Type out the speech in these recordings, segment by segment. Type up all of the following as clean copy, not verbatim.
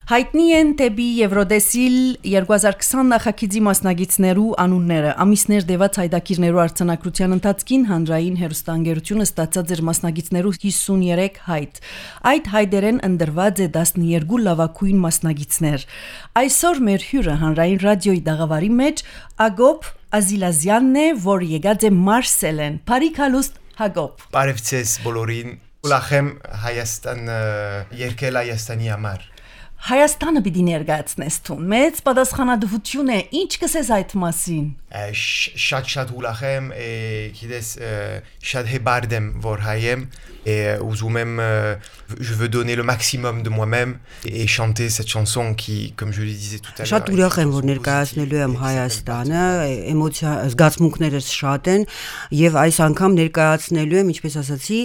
Հայտնի են դեպի Եվրոդեսիլ 2020 նախագիծի մասնագետներու անունները։ Ամիսներ դեված հայդակիրներու արձանագրության ընթացքին հանրային հեռուստաընկերությունը ստացած էր մասնագետներու 53 հայտ։ Այդ հայդերեն ընդրված է 12 լավագույն մասնագետներ։ Այսօր մեր հյուրը հանրային ռադիոյի դաղավարի մեջ Ագոպ Ազիլազյանն է, որ եկած է Մարսելեն։ Բարիք հալուստ Հակոբ։ Բարև ձեզ բոլորին։ Ուրախ եմ Հայաստան երկել Հայաստանի համար։ Հայաստանը պիտի ներկայացնես տուն։ Մեծ պատասխանատվություն է։ Ինչ կսես այդ մասին։ Շատ ուրախ եմ, գիտես, շատ հեբարդ եմ, որ հայ եմ, ուզում եմ, je veux donner le maximum de moi-même et chanter cette chanson qui, comme je le disais tout à l'heure, շատ ուրախ եմ, որ ներկայացնելու եմ Հայաստանը, էմոցիա զգացմունքներս շատ են եւ այս անգամ ներկայացնելու եմ, ինչպես ասացի,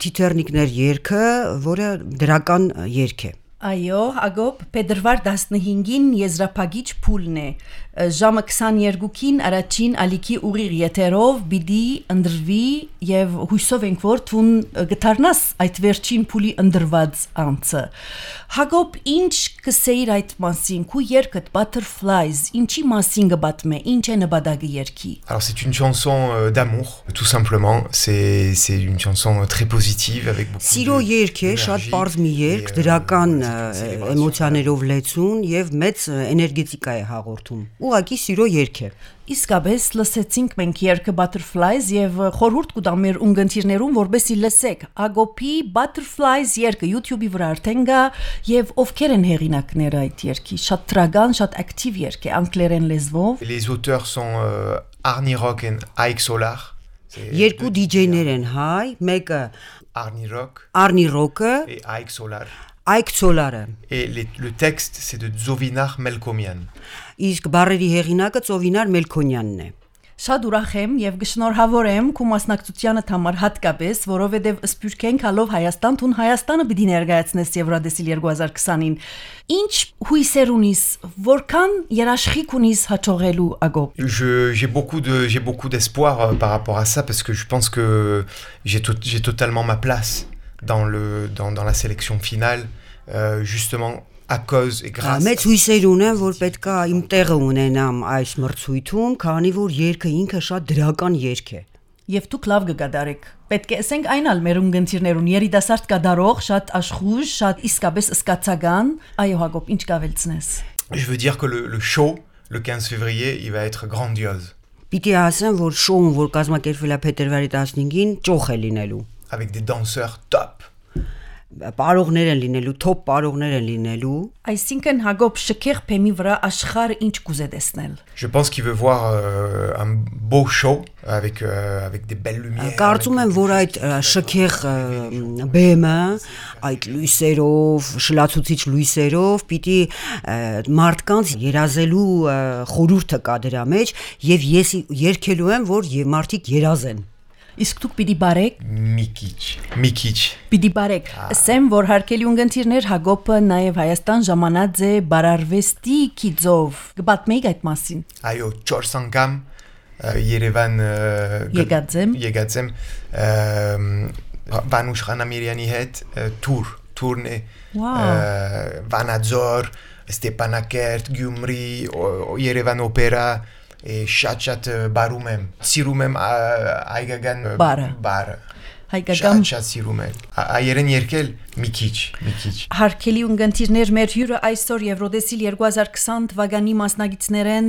Թիթեռնիկներ երգը, որը դրական երգ է։ Այո, Ագոպ, Փետրվար 15-ին եզրափակիչ փուլն է։ Ժամը 22-ին առաջին ալիքի ուղիղ եթերով պիտի ընդրվի եւ հույսով ենք որ տուն գտարնաս այդ վերջին փուլի ընդրված անցը։ Հակոբ, ինչ կսեիր այդ մասին, քու երգդ Butterflies, ինչի մասին կբատմե, ինչ է նպատակը երգի։ Alors c'est une chanson d'amour, tout simplement, c'est une chanson très positive avec beaucoup Սիրո երգ է, շատ པարզ մի երգ, դրական էմոցիաներով լեցուն եւ մեծ էներգետիկա է հաղորդում։ Ուղղակի սիրո երգ է։ Իսկապես լսեցինք մենք երգը Butterflies եւ խորհուրդ կտամ մեր ունգընտիրներուն որբեսի լսեք Ագոպի Butterflies երգը YouTube-ի վրա արդեն կա եւ ովքեր են հեղինակները այդ երգի շատ տրագան, շատ ակտիվ երգ է անգլերեն լեզվով։ Les auteurs sont Arnie Rock et Ike Solar. Երկու DJ-ներ են հայ, մեկը Arnie Rock et Ike Solar. Ike Solar-ը։ Et le texte c'est de Zovinar Melkomian. Իսկ բառերի հեղինակը Ծովինար Մելքոնյանն է։ Շատ ուրախ եմ եւ գշնորհավորեմ քու մասնակցությանդ համար հատկապես, որովհետեւ սփյուռքենք հալով Հայաստան, տուն Հայաստանը պիտի ներկայացնես Եվրոդեսիլ 2020-ին։ Ինչ հույսեր ունիս, որքան երաշխիք ունիս հաջողելու Ագոպ։ J'ai beaucoup d'espoir par rapport à ça parce que je pense que j'ai totalement ma place dans la sélection finale justement à cause et grâce Մեծ հույսեր ունեմ, որ պետքա իմ տեղը ունենամ այս մրցույթում, քանի որ երգը ինքը շատ դրական երգ է։ Եվ դուք լավ կգադարեք։ Պետք է ասենք այնալ մեր ունգընտիրներուն երիտասարդ կդարող, շատ աշխուժ, շատ իսկապես սկացական։ Այո, Հակոբ, ինչ կավելցնես։ Je veux dire que le show le 15 février, il va être grandiose. Պիտի ասեմ, որ շոուն, որ կազմակերպվել է փետրվարի 15-ին, ճոխ է լինելու։ Avec des danseurs top. Պարողներ են լինելու, թոփ պարողներ են լինելու։ Այսինքն Հակոբ շքեղ փեմի վրա աշխարհը ինչ կուզե տեսնել։ Je pense qu'il veut voir un beau show avec des belles lumières. Կարծում եմ, որ այդ շքեղ բեմը, այդ լույսերով, շլացուցիչ լույսերով պիտի մարդկանց երազելու խորհուրդը կա դրա մեջ եւ ես երգելու եմ, որ մարդիկ երազեն։ Իսկ դուք պիտի բարեք Միքիչ Պիտի բարեք ասեմ որ հարկելի ունգընտիրներ Հակոբը նաև Հայաստան ժամանած է բարարվեստի կիծով կպատմեիք այդ մասին Այո 4 անգամ Երևան եկած եմ Վանուշ Խանամիրյանի հետ տուրն է Վանաձոր Ստեփանակերտ Գյումրի Երևան օպերա Շատ բարում եմ, սիրում եմ այգական բարը, շատ սիրում եմ, այերեն երկել մի քիչ Հարկելի ունգընտիրներ մեր հյուրը այսօր Եվրոդեսիլ 2020 թվականի մասնագետներեն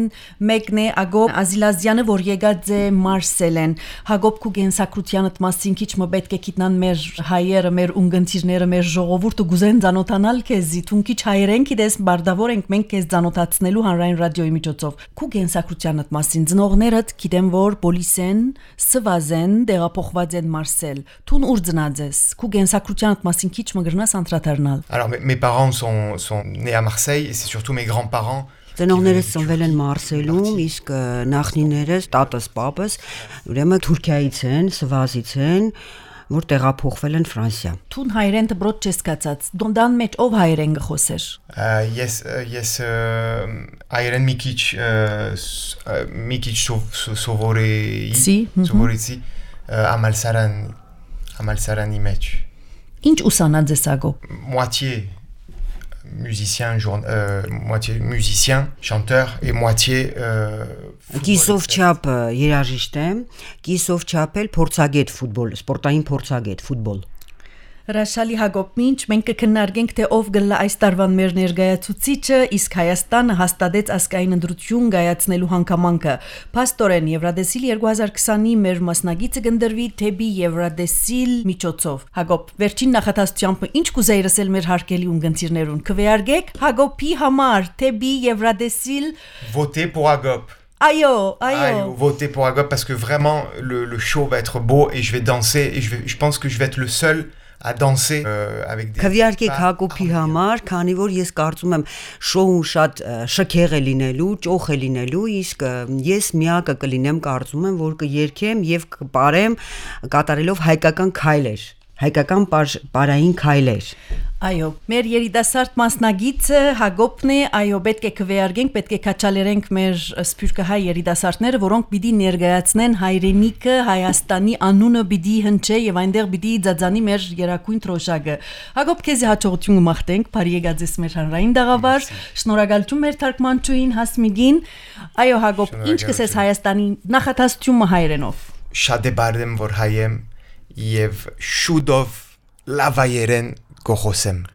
մեկն է Ագոպ Ազիլազյանը, որ եկած է Մարսելեն Հակոբ քու գենսակրությանդ մասին քիչ մը պետք է գիտնան մեր հայերը, մեր ունգընտիրները, մեր ժողովուրդը գուզեն ծանոթանալ քեզի, թուն քիչ հայերեն գիտես բարդավոր ենք մենք քեզ ծանոթացնելու հանրային ռադիոյի միջոցով քու գենսակրությանդ մասին ծնողներդ գիտեմ որ պոլիսեն, սվազեն, դեղափոխված են Մարսել Տուն ուր ծնած ես քու գենսակրությանդ մասին քիչ Alors mes parents sont nés à Marseille et c'est surtout mes grands-parents Ծնողներս ծնվել են Մարսելում, իսկ նախնիներս, տատս, պապս, ուրեմն Թուրքիայից են, Սվազից են, որ տեղափոխվել են Ֆրանսիա։ Տուն հայերեն դբրոտ չես կացած, դոնդան մեջ ով հայերեն գխոսեր։ Ես հայերեն մի քիչ սովորեցի Ամալսարանի մեջ։ Ինչ ուսանած ես Ագոպ։ Moitié moitié musicien, chanteur et moitié Կիսով չափ երաժիշտ եմ, կիսով չափ էլ փորձագետ ֆուտբոլ, սպորտային փորձագետ ֆուտբոլ։ Հրաշալի Հակոբ, մինչ մենք կքննարկենք թե ով գլա այս տարվան մեր ներկայացուցիչը, իսկ Հայաստանը հաստատեց ազգային ընտրություն կայացնելու հանգամանքը։ Փաստորեն Եվրադեսիլ 2020-ի մեր մասնագիծը կընդրվի թեպի Եվրադեսիլ միջոցով։ Հակոբ, վերջին նախատեսությամբ ինչ կուզեի ասել մեր հարգելի ունգընտիրներուն։ Կվերարգեք Հակոբի համար թեպի Եվրադեսիլ Votez pour Hagop. Aïe, votez pour Hagop parce que vraiment le show va être beau et je vais danser et je pense que je vais être le seul à danser avec des Քվեարկեք Հակոբի համար, քանի որ ես կարծում եմ շոուն շատ շքեղ է լինելու, ճոխ է լինելու, իսկ ես միակը կլինեմ կարծում եմ, որ կերքեմ եւ կպարեմ կատարելով հայկական քայլեր, հայկական պարային քայլեր։ Այո, մեր երիտասարդ մասնագիծը Հակոբն է, այո, պետք է քվեարկենք, պետք է քաչալերենք մեր սփյուռքահայ երիտասարդները, որոնք պիտի ներկայացնեն հայրենիքը, Հայաստանի անունը պիտի հնչե եւ այնտեղ պիտի ձածանի մեր երակույն թրոշակը։ Հակոբ, քեզ հաջողություն կմաղթենք, բարի եկած ես մեր հանրային դաղավար, շնորհակալություն մեր թարգմանչուհին Հասմիկին։ Այո, Հակոբ, ինչ կսես Հայաստանի նախատեսությունը հայերենով։ Շատ է բարդեմ որ հայեմ եւ շուտով լավայերեն կողոսեմ